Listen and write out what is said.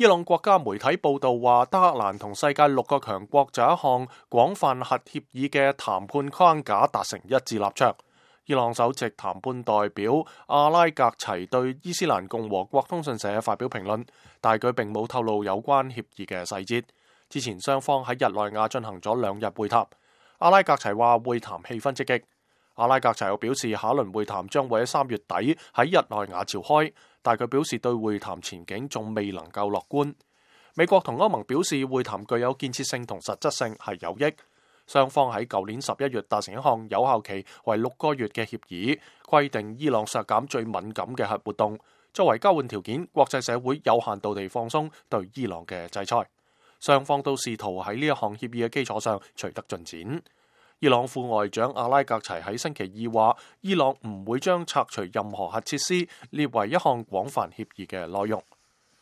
伊朗國家媒體報道話，德黑蘭同世界6個強國就一項廣泛核協議嘅談判框架達成一致立場。伊朗首席談判代表阿拉格齊對伊斯蘭共和國通訊社發表評論，但佢並冇透露有關協議嘅細節。之前雙方喺日內瓦進行咗2日會談。阿拉格齊話會談氣氛積極。阿拉格齊又表示，下一輪會談將會喺3月底喺日內瓦召開，但佢表示對會談前景仲未能夠樂觀。美國同歐盟表示會談具有建設性同實質性，係有益。雙方喺舊年11月達成一項有效期為6個月嘅協議，規定伊朗削減最敏感嘅核活動。作為交換條件，國際社會有限度地放鬆對伊朗嘅制裁。雙方都試圖喺呢一項協議嘅基礎上取得進展。伊朗副外長阿拉格齊喺星期2話，伊朗唔會將拆除任何核設施列為一項廣泛協議嘅內容。